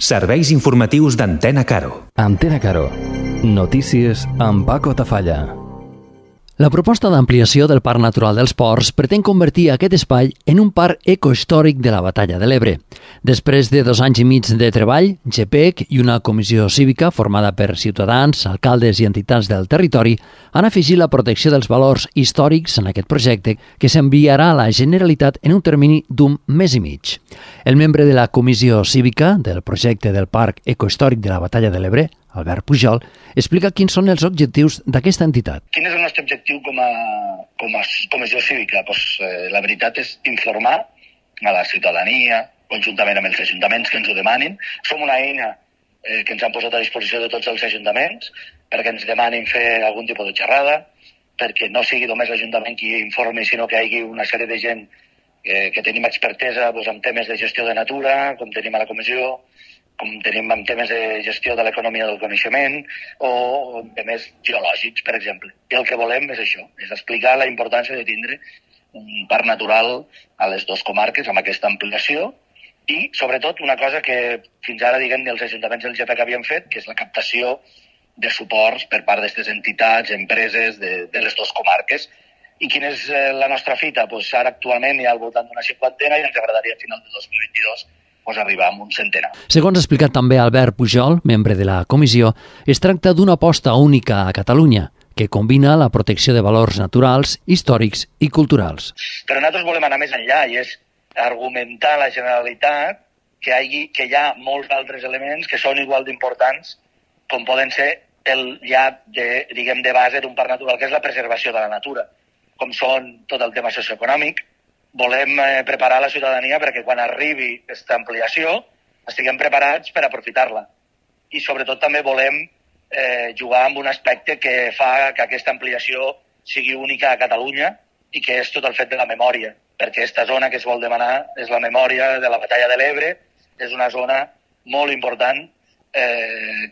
Serveis informatius d'Antena Caro. Antena Caro. Notícies amb Paco Tafalla. La proposta d'ampliació del Parc Natural dels Ports pretén convertir aquest espai en un parc ecohistòric de la Batalla de l'Ebre. Després de 2 anys i mig de treball, GPEC i una comissió cívica formada per ciutadans, alcaldes i entitats del territori han afegit la protecció dels valors històrics en aquest projecte que s'enviarà a la Generalitat en un termini d'un mes i mig. El membre de la comissió cívica del projecte del Parc Ecohistòric de la Batalla de l'Ebre, Albert Pujol, explica quins són els objectius d'aquesta entitat. Quin és el nostre objectiu com a comissió cívica? La veritat és informar a la ciutadania, conjuntament amb els ajuntaments que ens ho demanin. Som una eina que ens han posat a disposició de tots els ajuntaments perquè ens demanin fer algun tipus de xerrada, perquè no sigui només l'Ajuntament qui informi, sinó que hi hagi una sèrie de gent que tenim expertesa en temes de gestió de natura, com tenim a la comissió, com tenim en temes de gestió de l'economia del coneixement o en temes geològics, per exemple. I el que volem és això, és explicar la importància de tindre un parc natural a les 2 comarques amb aquesta ampliació i, sobretot, una cosa que fins ara, els ajuntaments del GPEC havien fet, que és la captació de suports per part d'aquestes entitats, empreses de les 2 comarques. I quina és la nostra fita? Ara actualment hi ha al voltant d'una 50 i ens agradaria a final de 2022 arribar a un centenar. Segons ha explicat també Albert Pujol, membre de la comissió, es tracta d'una aposta única a Catalunya, que combina la protecció de valors naturals, històrics i culturals. Però nosaltres volem anar més enllà i és argumentar a la Generalitat que hi ha molts altres elements que són igual d'importants com poden ser el llap de base d'un parc natural, que és la preservació de la natura, com són tot el tema socioeconòmic. Volem preparar la ciutadania perquè quan arribi aquesta ampliació estiguem preparats per aprofitar-la. I sobretot també volem jugar amb un aspecte que fa que aquesta ampliació sigui única a Catalunya i que és tot el fet de la memòria, perquè aquesta zona que es vol demanar és la memòria de la Batalla de l'Ebre, és una zona molt important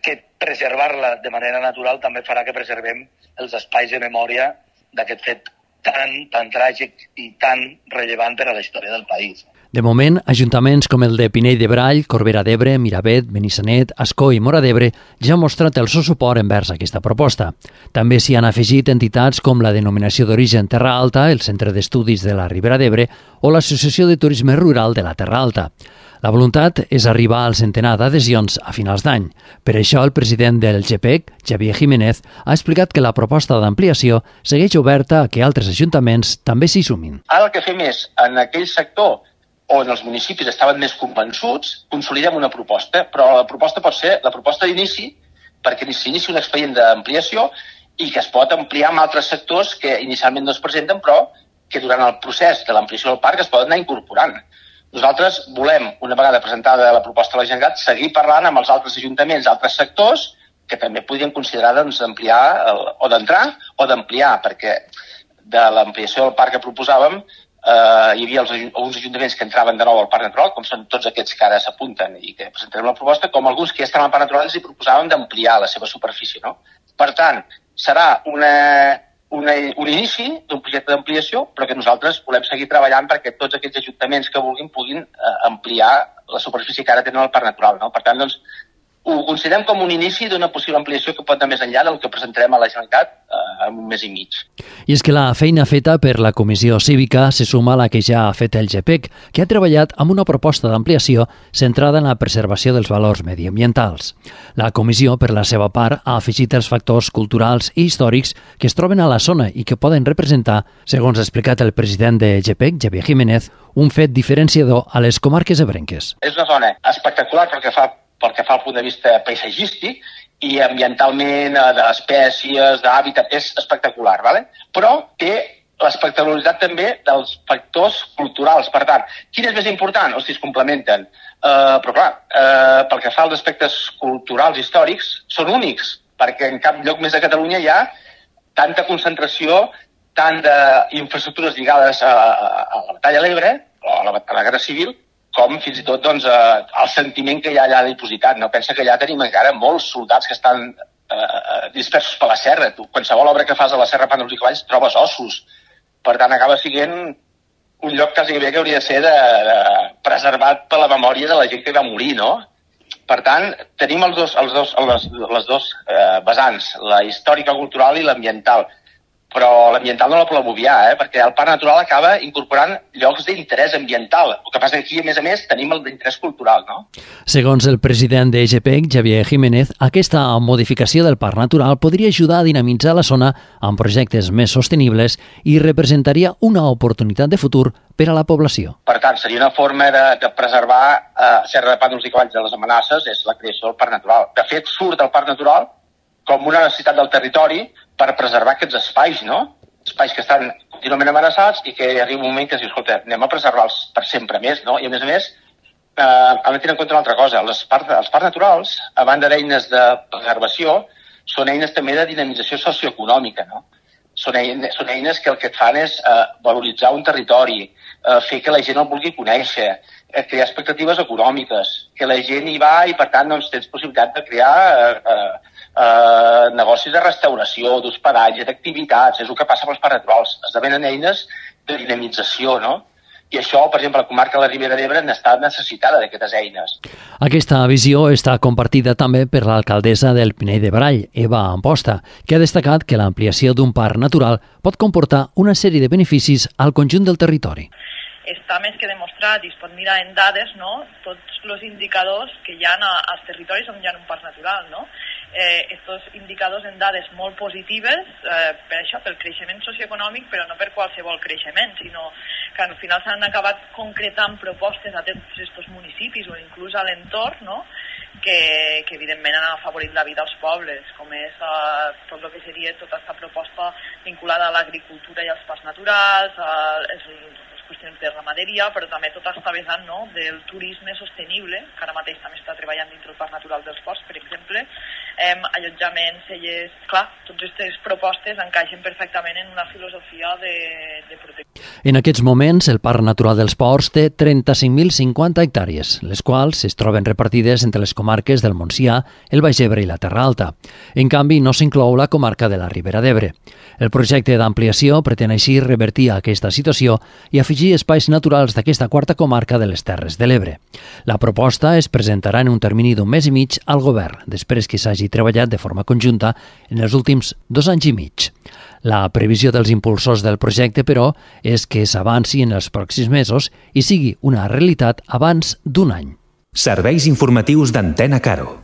que preservar-la de manera natural també farà que preservem els espais de memòria d'aquest fet tan tràgic i tan rellevant per a la història del país. De moment, ajuntaments com el de Pinell de Brai, Corbera d'Ebre, Miravet, Benissanet, Ascó i Móra d'Ebre ja han mostrat el seu suport envers aquesta proposta. També s'hi han afegit entitats com la Denominació d'Origen Terra Alta, el Centre d'Estudis de la Ribera d'Ebre o l'Associació de Turisme Rural de la Terra Alta. La voluntat és arribar al centenar d'adhesions a finals d'any. Per això, el president del GPEC, Xavier Jiménez, ha explicat que la proposta d'ampliació segueix oberta a que altres ajuntaments també s'hi sumin. Ara el que fem és, en aquell sector on els municipis estaven més convençuts, consolidem una proposta, però la proposta pot ser la proposta d'inici perquè s'inici un expedient d'ampliació i que es pot ampliar amb altres sectors que inicialment no es presenten, però que durant el procés de l'ampliació del parc es poden anar incorporant. Nosaltres volem, una vegada presentada la proposta a la Generalitat, seguir parlant amb els altres ajuntaments, altres sectors, que també podrien considerar d'ampliar o d'entrar o d'ampliar, perquè de l'ampliació del parc que proposàvem hi havia alguns ajuntaments que entraven de nou al parc natural, com són tots aquests que ara s'apunten i que presentarem la proposta, com alguns que ja estan al parc natural i proposàvem d'ampliar la seva superfície. No? Per tant, serà un inici d'un projecte d'ampliació, però que nosaltres volem seguir treballant perquè tots aquests ajuntaments que vulguin puguin ampliar la superfície que ara tenen al parc natural. No? Per tant, doncs, ho considerem com un inici d'una possible ampliació que pot anar més enllà del que presentarem a la Generalitat en un mes i mig. I és que la feina feta per la Comissió Cívica se suma a la que ja ha fet el GPEC, que ha treballat amb una proposta d'ampliació centrada en la preservació dels valors mediambientals. La Comissió, per la seva part, ha afegit els factors culturals i històrics que es troben a la zona i que poden representar, segons ha explicat el president de GPEC, Xavier Jiménez, un fet diferenciador a les comarques ebrenques. És una zona espectacular pel que fa al punt de vista paisatgístic i ambientalment, d'espècies, d'hàbitat, és espectacular, ¿vale? Però té l'espectacularitat també dels factors culturals. Per tant, quin és més important? O si es complementen. Però clar, pel que fa als aspectes culturals històrics, són únics, perquè en cap lloc més de Catalunya hi ha tanta concentració tant d'infraestructures lligades a la Batalla de l'Ebre, o a la Guerra Civil, com fins i tot el sentiment que hi ha allà dipositat. No? Pensa que allà tenim encara molts soldats que estan dispersos per la serra. Tu, qualsevol obra que fas a la serra Pàndols i Cavalls trobes ossos. Per tant, acaba sent un lloc quasi bé que hauria de ser preservat per la memòria de la gent que va morir, no? Per tant, tenim les dos vessants, la històrica cultural i l'ambiental. Però l'ambiental no la volem obviar, perquè el parc natural acaba incorporant llocs d'interès ambiental. El que passa que aquí, a més, tenim el d'interès cultural, no? Segons el president de EGPEC, Javier Jiménez, aquesta modificació del parc natural podria ajudar a dinamitzar la zona amb projectes més sostenibles i representaria una oportunitat de futur per a la població. Per tant, seria una forma de preservar certs pàndols i cavalls de les amenaces, és la creació del parc natural. De fet, surt el parc natural com una necessitat del territori per preservar aquests espais, no? Espais que estan contínuament amenaçats i que arriba un moment que dius, escolta, anem a preservar-los per sempre més, no? I a més, hem de tenir en compte una altra cosa. Els parcs naturals, a banda d'eines de preservació, són eines també de dinamització socioeconòmica, no? Són eines que el que et fan és valoritzar un territori, fer que la gent el vulgui conèixer, crear expectatives econòmiques, que la gent hi va i, per tant, doncs, tens possibilitat de crear negocis de restauració, d'hospedatge, d'activitats. És el que passa amb els parcs naturals. Esdevenen eines de dinamització, no? I això, per exemple, la comarca de la Ribera d'Ebre n'està necessitada d'aquestes eines. Aquesta visió està compartida també per l'alcaldessa del Pinell de Brai, Eva Amposta, que ha destacat que l'ampliació d'un parc natural pot comportar una sèrie de beneficis al conjunt del territori. Està més que demostrat i es pot mirar en dades, no? Tots els indicadors que hi ha als territoris on hi ha un parc natural, no? Estos indicadors en dades molt positives per això, pel creixement socioeconòmic, però no per qualsevol creixement, sinó que al final s'han acabat concretant propostes a tots aquests municipis o inclús a l'entorn, no? que evidentment han afavorit la vida als pobles, com és tot el que seria tota aquesta proposta vinculada a l'agricultura i als parcs naturals, les qüestions de ramaderia, però també tota aquesta vessant, no? Del turisme sostenible, que ara mateix també està treballant dintre el Parc Natural dels Ports, per exemple, allotjaments, cellers. Clar, totes aquestes propostes encaixen perfectament en una filosofia de protecció. En aquests moments, el Parc Natural dels Ports té 35.050 hectàrees, les quals es troben repartides entre les comarques del Montsià, el Baix Ebre i la Terra Alta. En canvi, no s'inclou la comarca de la Ribera d'Ebre. El projecte d'ampliació pretén així revertir aquesta situació i afegir espais naturals d'aquesta quarta comarca de les Terres de l'Ebre. La proposta es presentarà en un termini d'un mes i mig al govern, després que s'hagi treballat de forma conjunta en els últims 2 anys i mig. La previsió dels impulsors del projecte, però, és que s'avanci en els pròxims mesos i sigui una realitat abans d'un any. Serveis informatius d'Antena Caro.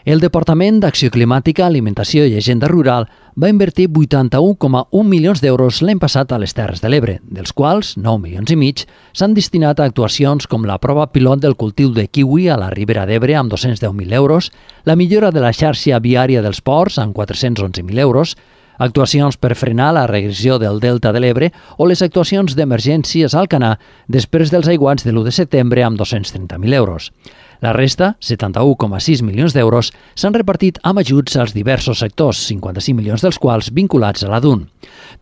El Departament d'Acció Climàtica, Alimentació i Agenda Rural va invertir 81,1 milions d'euros l'any passat a les Terres de l'Ebre, dels quals 9 milions i mig s'han destinat a actuacions com la prova pilot del cultiu de kiwi a la Ribera d'Ebre amb 210.000 euros, la millora de la xarxa viària dels ports amb 411.000 euros, actuacions per frenar la regressió del Delta de l'Ebre o les actuacions d'emergències al Canà després dels aiguats de l'1 de setembre amb 230.000 euros. La resta, 71,6 milions d'euros, s'han repartit amb ajuts als diversos sectors, 55 milions dels quals vinculats a la DUN.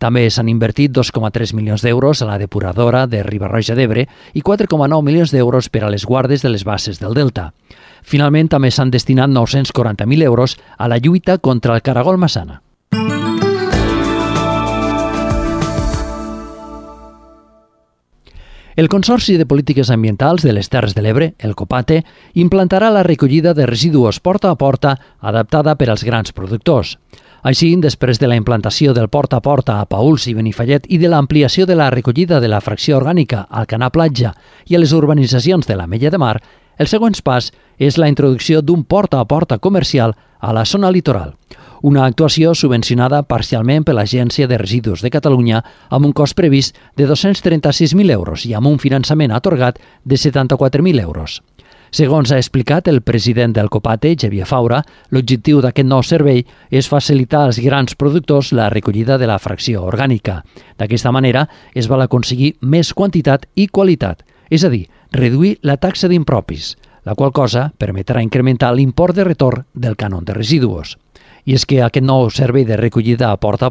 També s'han invertit 2,3 milions d'euros a la depuradora de Riba-roja d'Ebre i 4,9 milions d'euros per a les guardes de les basses del Delta. Finalment, també s'han destinat 940.000 euros a la lluita contra el caragol massana. El Consorci de Polítiques Ambientals de les Terres de l'Ebre, el COPATE, implantarà la recollida de residus porta a porta adaptada per als grans productors. Així, després de la implantació del porta a porta a Paüls i Benifallet i de l'ampliació de la recollida de la fracció orgànica al Canà Platja i a les urbanitzacions de l'Ametlla de Mar, el següent pas és la introducció d'un porta a porta comercial a la zona litoral. Una actuació subvencionada parcialment per l'Agència de Residus de Catalunya amb un cost previst de 236.000 euros i amb un finançament atorgat de 74.000 euros. Segons ha explicat el president del COPATE, Xavier Faura, l'objectiu d'aquest nou servei és facilitar als grans productors la recollida de la fracció orgànica. D'aquesta manera es vol aconseguir més quantitat i qualitat, és a dir, reduir la taxa d'impropis, la qual cosa permetrà incrementar l'import de retorn del cànon de residus. I és que aquest nou servei de recollida a porta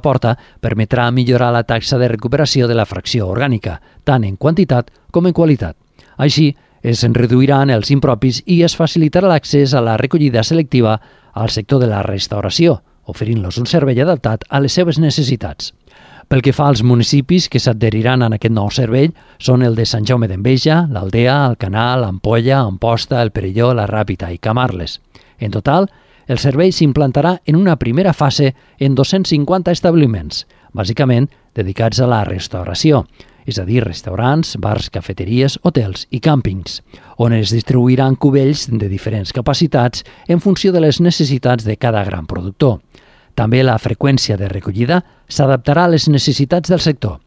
permetrà millorar la taxa de recuperació de la fracció orgànica, tant en quantitat com en qualitat. Així, es reduiran els impropis i es facilitarà l'accés a la recollida selectiva al sector de la restauració, oferint-los un servei adaptat a les seves necessitats. Pel que fa als municipis que s'adheriran a aquest nou servei són el de Sant Jaume d'Enveja, l'Aldea, Alcanar, l'Ampolla, Amposta, el Perelló, la Ràpita i Camarles. En total, el servei s'implantarà en una primera fase en 250 establiments, bàsicament dedicats a la restauració, és a dir, restaurants, bars, cafeteries, hotels i càmpings, on es distribuiran cubells de diferents capacitats en funció de les necessitats de cada gran productor. També la freqüència de recollida s'adaptarà a les necessitats del sector.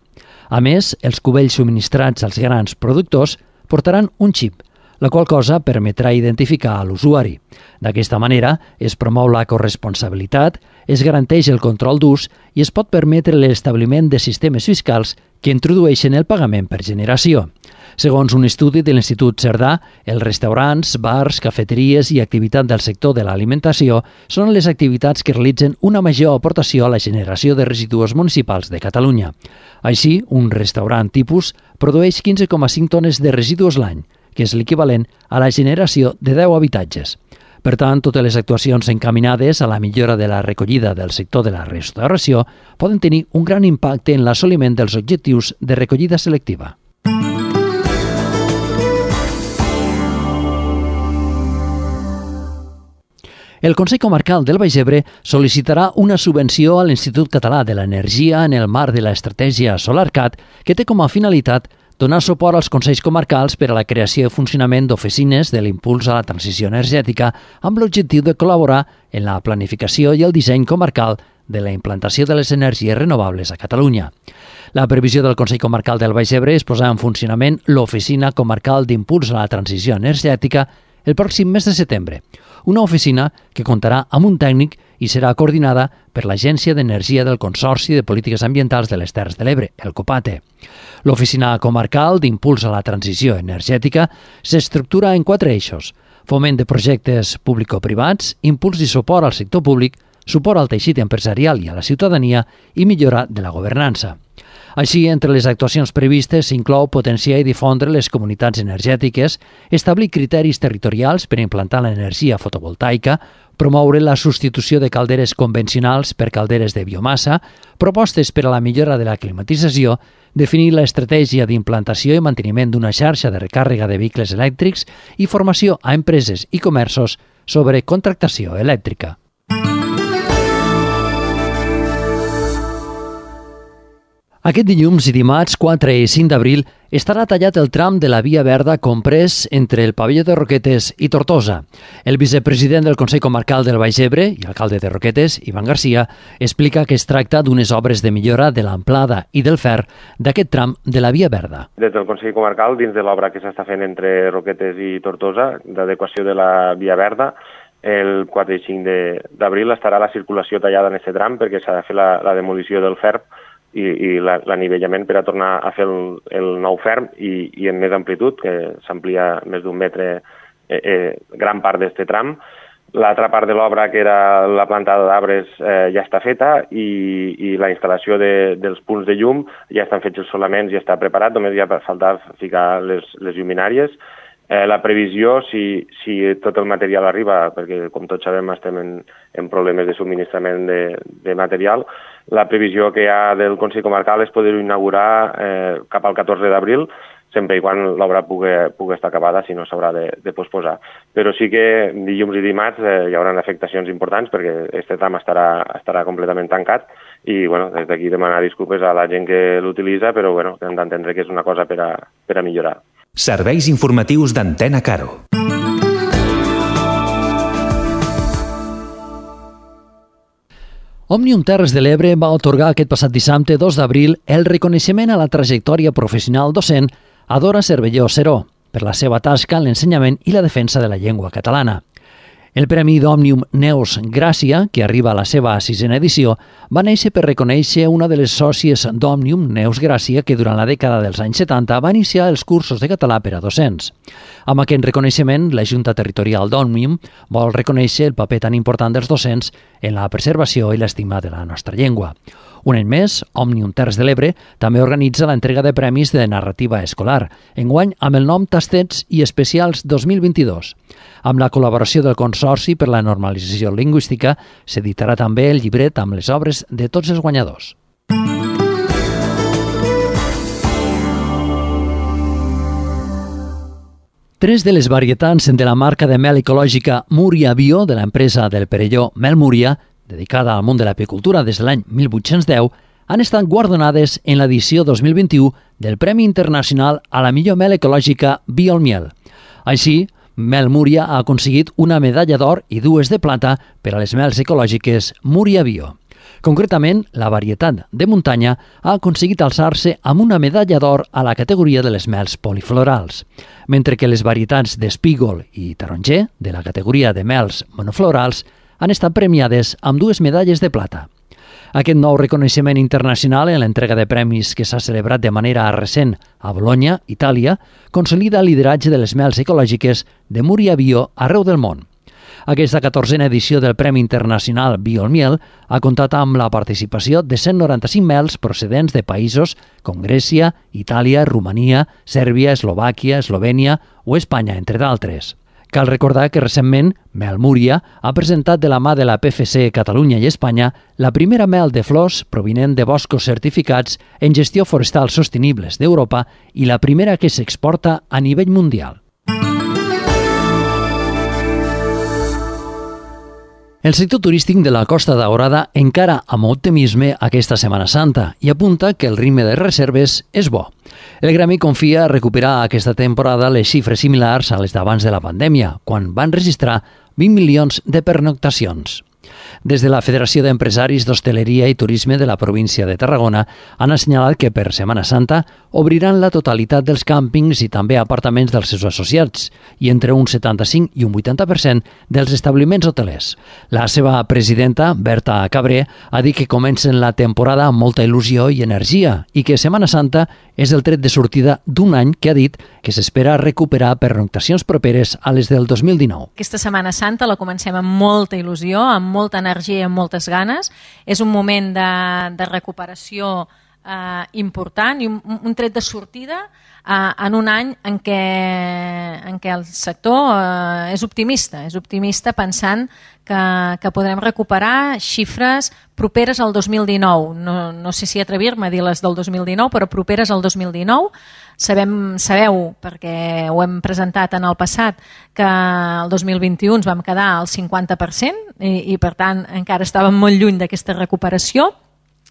A més, els cubells subministrats als grans productors portaran un xip, la qual cosa permetrà identificar a l'usuari. D'aquesta manera, es promou la corresponsabilitat, es garanteix el control d'ús i es pot permetre l'establiment de sistemes fiscals que introdueixen el pagament per generació. Segons un estudi de l'Institut Cerdà, els restaurants, bars, cafeteries i activitat del sector de l'alimentació són les activitats que realitzen una major aportació a la generació de residus municipals de Catalunya. Així, un restaurant tipus produeix 15,5 tones de residus l'any, que és l'equivalent a la generació de 10 habitatges. Per tant, totes les actuacions encaminades a la millora de la recollida del sector de la restauració poden tenir un gran impacte en l'assoliment dels objectius de recollida selectiva. El Consell Comarcal del Baix Ebre sol·licitarà una subvenció a l'Institut Català de l'Energia en el marc de l'estratègia SolarCat, que té com a finalitat donar suport als Consells Comarcals per a la creació i funcionament d'oficines de l'impuls a la transició energètica amb l'objectiu de col·laborar en la planificació i el disseny comarcal de la implantació de les energies renovables a Catalunya. La previsió del Consell Comarcal del Baix Ebre és posar en funcionament l'Oficina Comarcal d'Impuls a la Transició Energètica el pròxim mes de setembre, una oficina que comptarà amb un tècnic i serà coordinada per l'Agència d'Energia del Consorci de Polítiques Ambientals de les Terres de l'Ebre, el COPATE. L'Oficina Comarcal d'Impuls a la Transició Energètica s'estructura en 4 eixos: foment de projectes público-privats, impuls i suport al sector públic, suport al teixit empresarial i a la ciutadania i millora de la governança. Així, entre les actuacions previstes s'inclou potenciar i difondre les comunitats energètiques, establir criteris territorials per implantar l'energia fotovoltaica, promoure la substitució de calderes convencionals per calderes de biomassa, propostes per a la millora de la climatització, definir l'estratègia d'implantació i manteniment d'una xarxa de recàrrega de vehicles elèctrics i formació a empreses i comerços sobre contractació elèctrica. Aquest dilluns i dimarts 4 i 5 d'abril estarà tallat el tram de la Via Verda comprès entre el pavelló de Roquetes i Tortosa. El vicepresident del Consell Comarcal del Baix Ebre i alcalde de Roquetes, Ivan Garcia, explica que es tracta d'unes obres de millora de l'amplada i del fer d'aquest tram de la Via Verda. Des del Consell Comarcal, dins de l'obra que s'està fent entre Roquetes i Tortosa, d'adequació de la Via Verda, el 4 i 5 d'abril estarà la circulació tallada en aquest tram perquè s'ha de fer la demolició del ferm i l'anivellament per a tornar a fer el nou ferm i en més amplitud, que s'amplia més d'un metre gran part d'aquest tram. L'altra part de l'obra, que era la plantada d'arbres, ja està feta i la instal·lació dels punts de llum ja estan fets els solaments, ja està preparat, només ja falta ficar les lluminàries. La previsió, si tot el material arriba, perquè com tots sabem estem en problemes de subministrament de material, la previsió que hi ha del Consell Comarcal és poder-ho inaugurar cap al 14 d'abril, sempre i quan l'obra pugui estar acabada, si no s'haurà de posposar. Però sí que dilluns i dimarts hi haurà afectacions importants perquè aquest tram estarà completament tancat i des d'aquí demanar disculpes a la gent que l'utilitza, però hem d'entendre que és una cosa per a millorar. Serveis informatius d'Antena Caro. Òmnium Terres de l'Ebre va atorgar aquest passat dissabte 2 d'abril el reconeixement a la trajectòria professional docent a Dora Cervelló Seró per la seva tasca en l'ensenyament i la defensa de la llengua catalana. El Premi d'Òmnium Neus Gràcia, que arriba a la seva 6ª edició, va néixer per reconèixer una de les sòcies d'Òmnium, Neus Gràcia, que durant la dècada dels anys 70 va iniciar els cursos de català per a docents. Amb aquest reconeixement, la Junta Territorial d'Òmnium vol reconèixer el paper tan important dels docents en la preservació i l'estima de la nostra llengua. Un any més, Òmnium Terres de l'Ebre també organitza l'entrega de premis de narrativa escolar, enguany amb el nom Tastets i Especials 2022. Amb la col·laboració del Consorci per la Normalització Lingüística, s'editarà també el llibret amb les obres de tots els guanyadors. 3 de les varietats de la marca de mel ecològica Múria Bio de l'empresa del Perelló Mel Múria, dedicada al món de l'apicultura des de l'any 1810, han estat guardonades en l'edició 2021 del Premi Internacional a la millor mel ecològica Biolmiel. Així, Mel Múria ha aconseguit una medalla d'or i 2 de plata per a les mels ecològiques Múria Bio. Concretament, la varietat de muntanya ha aconseguit alçar-se amb una medalla d'or a la categoria de les mels poliflorals, mentre que les varietats d'espígol i taronger, de la categoria de mels monoflorals, han estat premiades amb 2 medalles de plata. Aquest nou reconeixement internacional en l'entrega de premis que s'ha celebrat de manera recent a Bologna, Itàlia, consolida el lideratge de les mels ecològiques de Múria Bio arreu del món. Aquesta 14a edició del Premi Internacional Biolmiel ha comptat amb la participació de 195 mels procedents de països com Grècia, Itàlia, Romania, Sèrbia, Eslovàquia, Eslovènia o Espanya, entre d'altres. Cal recordar que recentment Mel Múria ha presentat de la mà de la PFC Catalunya i Espanya la primera mel de flors provinent de boscos certificats en gestió forestal sostenibles d'Europa i la primera que s'exporta a nivell mundial. El sector turístic de la Costa Daurada encara amb optimisme aquesta Setmana Santa i apunta que el ritme de reserves és bo. El gremi confia a recuperar aquesta temporada les xifres similars a les d'abans de la pandèmia, quan van registrar 20 milions de pernoctacions. Des de la Federació d'Empresaris d'Hostaleria i Turisme de la província de Tarragona han assenyalat que per Setmana Santa obriran la totalitat dels càmpings i també apartaments dels seus associats i entre un 75 i un 80% dels establiments hotelers. La seva presidenta, Berta Cabré, ha dit que comencen la temporada amb molta il·lusió i energia i que Setmana Santa és el tret de sortida d'un any que ha dit que s'espera recuperar pernoctacions properes a les del 2019. Aquesta Setmana Santa la comencem amb molta il·lusió, amb molta energia i amb moltes ganes. És un moment de recuperació important i un tret de sortida en un any en què el sector és optimista pensant que podrem recuperar xifres properes al 2019. No sé si atrevir-me a dir les del 2019, però properes al 2019. Sabeu, perquè ho hem presentat en el passat, que el 2021 ens vam quedar al 50% i per tant encara estàvem molt lluny d'aquesta recuperació.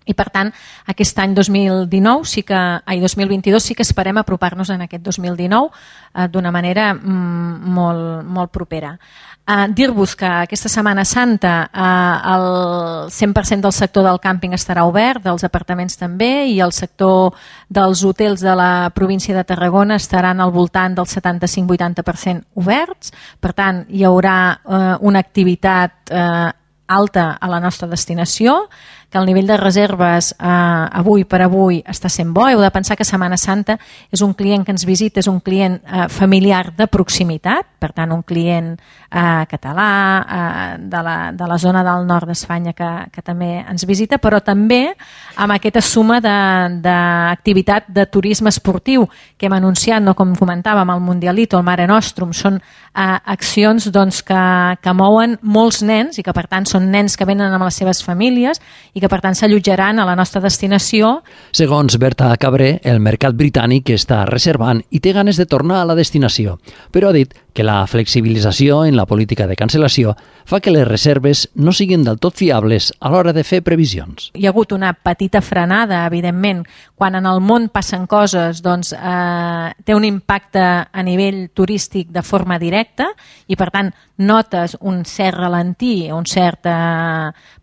I per tant, aquest any 2022 sí que esperem apropar-nos en aquest 2019 d'una manera molt propera. Dir-vos que aquesta Setmana Santa el 100% del sector del càmping estarà obert, dels apartaments també, i el sector dels hotels de la província de Tarragona estaran al voltant del 75-80% oberts. Per tant, hi haurà una activitat alta a la nostra destinació, que el nivell de reserves avui per avui està sent bo. Heu de pensar que Setmana Santa és un client que ens visita, és un client familiar de proximitat, per tant un client català de la zona del nord d'Espanya que també ens visita, però també amb aquesta suma d'activitat de turisme esportiu que hem anunciat, no, com comentàvem, el Mundialito, el Mare Nostrum, són accions que mouen molts nens i que per tant són nens que venen amb les seves famílies i que per tant s'allotjaran a la nostra destinació. Segons Berta Cabré, el mercat britànic està reservant i té ganes de tornar a la destinació, però ha dit que la flexibilització en la política de cancel·lació fa que les reserves no siguin del tot fiables a l'hora de fer previsions. Hi ha hagut una petita frenada, evidentment. Quan en el món passen coses, doncs té un impacte a nivell turístic de forma directa i per tant notes un cert ralentí,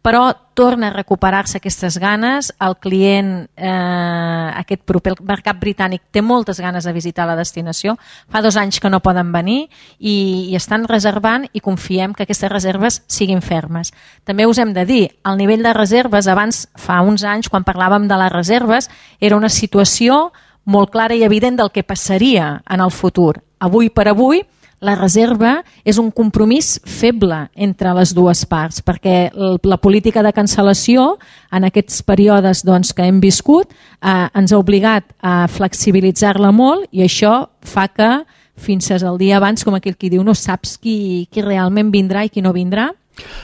però torna a recuperar-se aquestes ganes. El client, aquest proper mercat britànic, té moltes ganes de visitar la destinació. Fa 2 anys que no poden venir i estan reservant i confiem que aquestes reserves siguin fermes. També us hem de dir, el nivell de reserves abans, fa uns anys, quan parlàvem de les reserves, era una situació molt clara i evident del que passaria en el futur. Avui per avui, la reserva és un compromís feble entre les dues parts, perquè la política de cancel·lació en aquests períodes que hem viscut ens ha obligat a flexibilitzar-la molt i això fa que fins al dia abans, com aquell qui diu, no saps qui realment vindrà i qui no vindrà.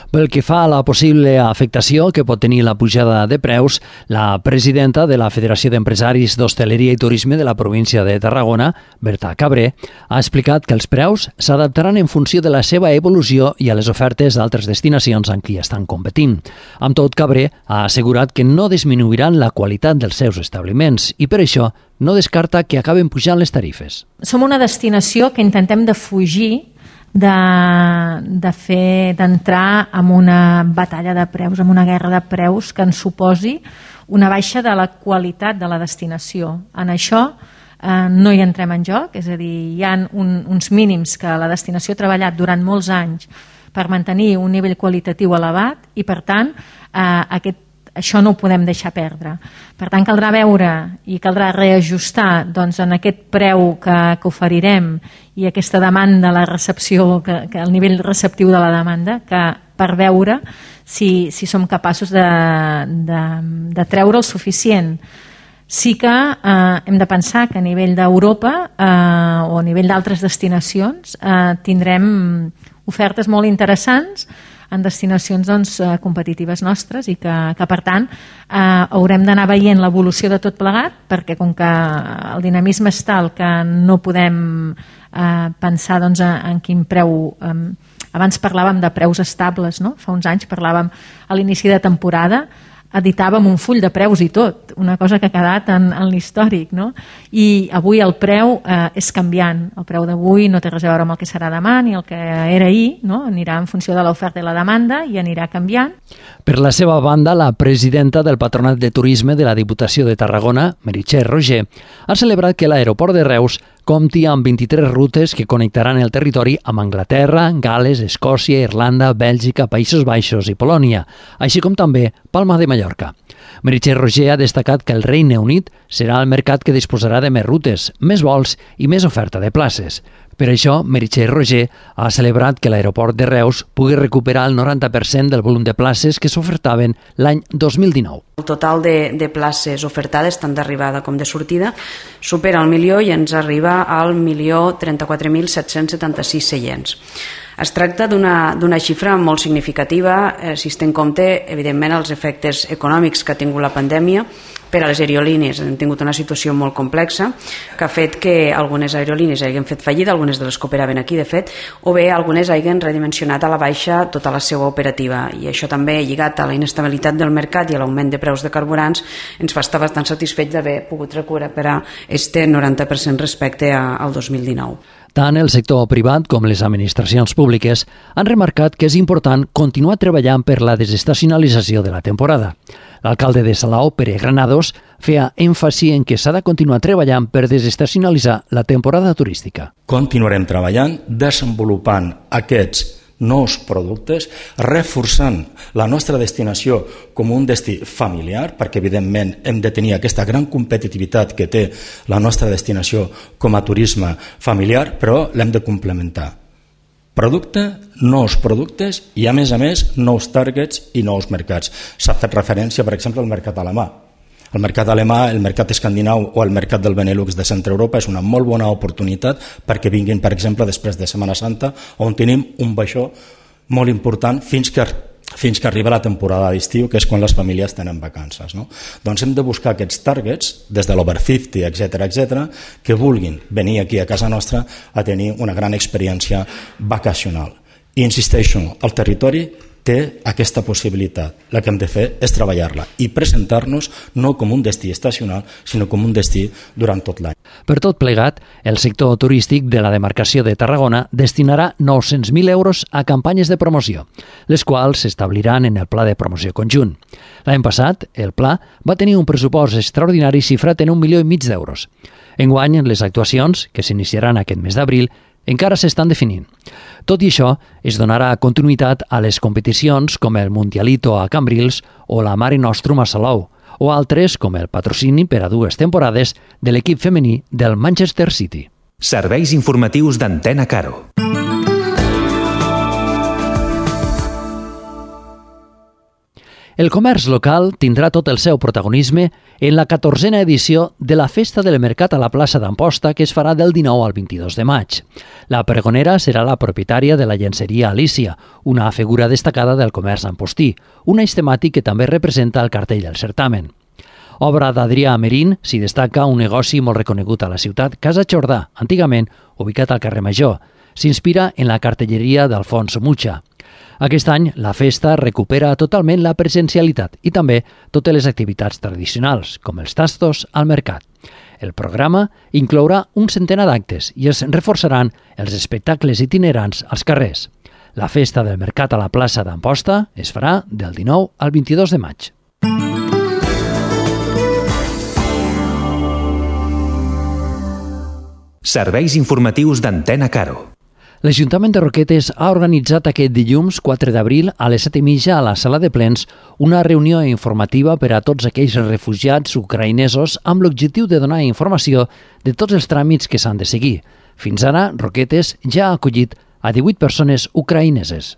Pel que fa a la possible afectació que pot tenir la pujada de preus, la presidenta de la Federació d'Empresaris d'Hostaleria i Turisme de la província de Tarragona, Berta Cabré, ha explicat que els preus s'adaptaran en funció de la seva evolució i a les ofertes d'altres destinacions amb qui estan competint. Amb tot, Cabré ha assegurat que no disminuiran la qualitat dels seus establiments i per això no descarta que acaben pujant les tarifes. Som una destinació que intentem de fugir d'entrar en una batalla de preus, en una guerra de preus que ens suposi una baixa de la qualitat de la destinació. En això no hi entrem en joc, és a dir, hi ha uns mínims que la destinació ha treballat durant molts anys per mantenir un nivell qualitatiu elevat i, per tant, això no ho podem deixar perdre. Per tant, caldrà veure i caldrà reajustar en aquest preu que oferirem i aquesta demanda, la recepció, el nivell receptiu de la demanda, per veure si som capaços de treure el suficient. Sí que hem de pensar que a nivell d'Europa o a nivell d'altres destinacions tindrem ofertes molt interessants en destinacions competitives nostres i que per tant haurem d'anar veient l'evolució de tot plegat, perquè com que el dinamisme és tal que no podem pensar en quin preu. Abans parlàvem de preus estables, no? Fa uns anys parlàvem a l'inici de temporada, editàvem un full de preus i tot, una cosa que ha quedat en l'històric, no? I avui el preu és canviant. El preu d'avui no té res a veure amb el que serà demà ni el que era ahir, no? Anirà en funció de l'oferta i la demanda i anirà canviant. Per la seva banda, la presidenta del Patronat de Turisme de la Diputació de Tarragona, Meritxell Roger, ha celebrat que l'aeroport de Reus compti amb 23 rutes que connectaran el territori amb Anglaterra, Gal·les, Escòcia, Irlanda, Bèlgica, Països Baixos i Polònia, així com també Palma de Mallorca. Meritxell Roger ha destacat que el Regne Unit serà el mercat que disposarà de més rutes, més vols i més oferta de places. Per això, Meritxell Roger ha celebrat que l'aeroport de Reus pugui recuperar el 90% del volum de places que s'ofertaven l'any 2019. El total de places ofertades, tant d'arribada com de sortida, supera el milió i ens arriba al 1.034.776 seients. Es tracta d'una xifra molt significativa si es té en compte, evidentment, els efectes econòmics que ha tingut la pandèmia. Per a les aerolínies hem tingut una situació molt complexa que ha fet que algunes aerolínies hagin fet fallida, algunes de les que operaven aquí, de fet, o bé algunes hagin redimensionat a la baixa tota la seva operativa. I això també, lligat a la inestabilitat del mercat i a l'augment de preus de carburants, ens fa estar bastant satisfets d'haver pogut recuperar este 90% respecte al 2019. Tant el sector privat com les administracions públiques han remarcat que és important continuar treballant per la desestacionalització de la temporada. L'alcalde de Salou, Pere Granados, feia èmfasi en que s'ha de continuar treballant per desestacionalitzar la temporada turística. Continuarem treballant, desenvolupant aquests nous productes, reforçant la nostra destinació com un destí familiar, perquè evidentment hem de tenir aquesta gran competitivitat que té la nostra destinació com a turisme familiar, però l'hem de complementar. Nous productes i, a més, nous targets i nous mercats. S'ha fet referència, per exemple, al mercat alemà. El mercat alemà, el mercat escandinau o el mercat del Benelux de Centre Europa és una molt bona oportunitat perquè vinguin, per exemple, després de Setmana Santa, on tenim un baixó molt important fins que arriba la temporada d'estiu, que és quan les famílies tenen vacances. No? Doncs hem de buscar aquests targets, des de l'Over 50, etc., que vulguin venir aquí a casa nostra a tenir una gran experiència vacacional. I insisteixo, el territori té aquesta possibilitat. La que hem de fer és treballar-la i presentar-nos no com un destí estacional, sinó com un destí durant tot l'any. Per tot plegat, el sector turístic de la demarcació de Tarragona destinarà 900.000 euros a campanyes de promoció, les quals s'establiran en el Pla de Promoció Conjunt. L'any passat, el Pla va tenir un pressupost extraordinari xifrat en 1,5 milió d'euros. Enguany, les actuacions, que s'iniciaran aquest mes d'abril, encara s'estan definint. Tot i això, es donarà continuïtat a les competicions com el Mundialito a Cambrils o la Mare Nostrum a Salou, o altres com el patrocini per a 2 temporades de l'equip femení del Manchester City. Serveis informatius d'Antena Caro. El comerç local tindrà tot el seu protagonisme en la 14a edició de la Festa del Mercat a la plaça d'Amposta, que es farà del 19 al 22 de maig. La pregonera serà la propietària de la llenceria Alicia, una figura destacada del comerç ampostí, un eix temàtic que també representa el cartell del certamen. Obra d'Adrià Merín, s'hi destaca un negoci molt reconegut a la ciutat, Casa Jordà, antigament ubicat al carrer Major. S'inspira en la cartelleria d'Alfons Mucha. Aquest any, la festa recupera totalment la presencialitat i també totes les activitats tradicionals, com els tastos al mercat. El programa inclourà un centenar d'actes i es reforçaran els espectacles itinerants als carrers. La festa del mercat a la plaça d'Amposta es farà del 19 al 22 de maig. Serveis informatius d'Antena Caro. L'Ajuntament de Roquetes ha organitzat aquest dilluns 4 d'abril a les 7:30 a la sala de plens una reunió informativa per a tots aquells refugiats ucraïnesos amb l'objectiu de donar informació de tots els tràmits que s'han de seguir. Fins ara, Roquetes ja ha acollit a 18 persones ucraïneses.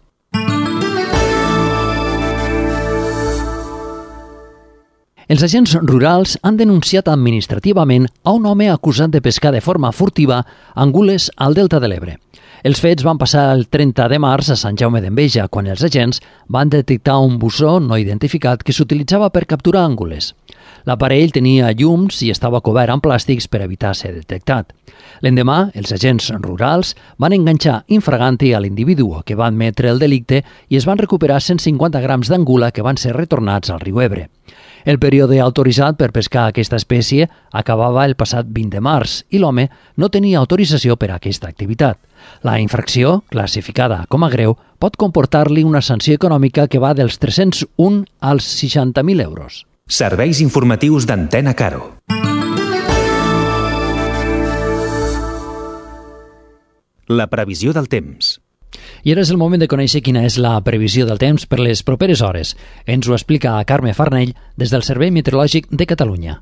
Els agents rurals han denunciat administrativament a un home acusat de pescar de forma furtiva angules al Delta de l'Ebre. Els fets van passar el 30 de març a Sant Jaume d'Enveja, quan els agents van detectar un bussó no identificat que s'utilitzava per capturar angules. L'aparell tenia llums i estava cobert amb plàstics per evitar ser detectat. L'endemà, els agents rurals van enganxar infraganti a l'individu que va admetre el delicte i es van recuperar 150 grams d'angula que van ser retornats al riu Ebre. El període autoritzat per pescar aquesta espècie acabava el passat 20 de març i l'home no tenia autorització per a aquesta activitat. La infracció, classificada com a greu, pot comportar-li una sanció econòmica que va dels 301 als 60.000 euros. Serveis informatius d'Antena Caro. La previsió del temps. I ara és el moment de conèixer quina és la previsió del temps per les properes hores. Ens ho explica Carme Farnell des del Servei Meteorològic de Catalunya.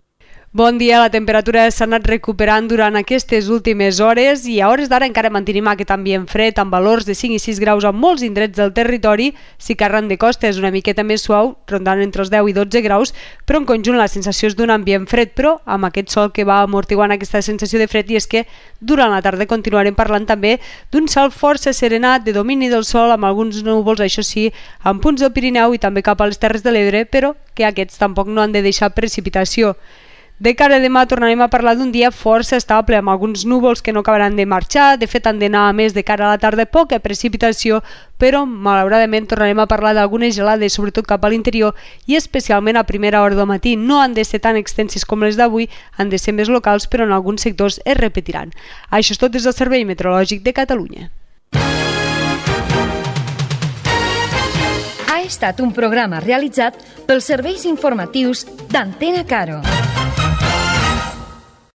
Bon dia, la temperatura s'ha anat recuperant durant aquestes últimes hores i a hores d'ara encara mantenim aquest ambient fred amb valors de 5 i 6 graus a molts indrets del territori. Si que arran de costa és una miqueta més suau, rondant entre els 10 i 12 graus, però en conjunt la sensació és d'un ambient fred, però amb aquest sol que va amortiguant aquesta sensació de fred, i és que durant la tarda continuarem parlant també d'un cel força serenat de domini del sol amb alguns núvols, això sí, amb punts del Pirineu i també cap a les Terres de l'Ebre, però que aquests tampoc no han de deixar precipitació. De cara a demà tornarem a parlar d'un dia força estable, amb alguns núvols que no acabaran de marxar. De fet, han d'anar a més de cara a la tarda poca precipitació, però malauradament tornarem a parlar d'algunes gelades, sobretot cap a l'interior i especialment a primera hora del matí. No han de ser tan extenses com les d'avui, han de ser més locals, però en alguns sectors es repetiran. Això és tot des del Servei Meteorològic de Catalunya. Ha estat un programa realitzat pels serveis informatius d'Antena Caro.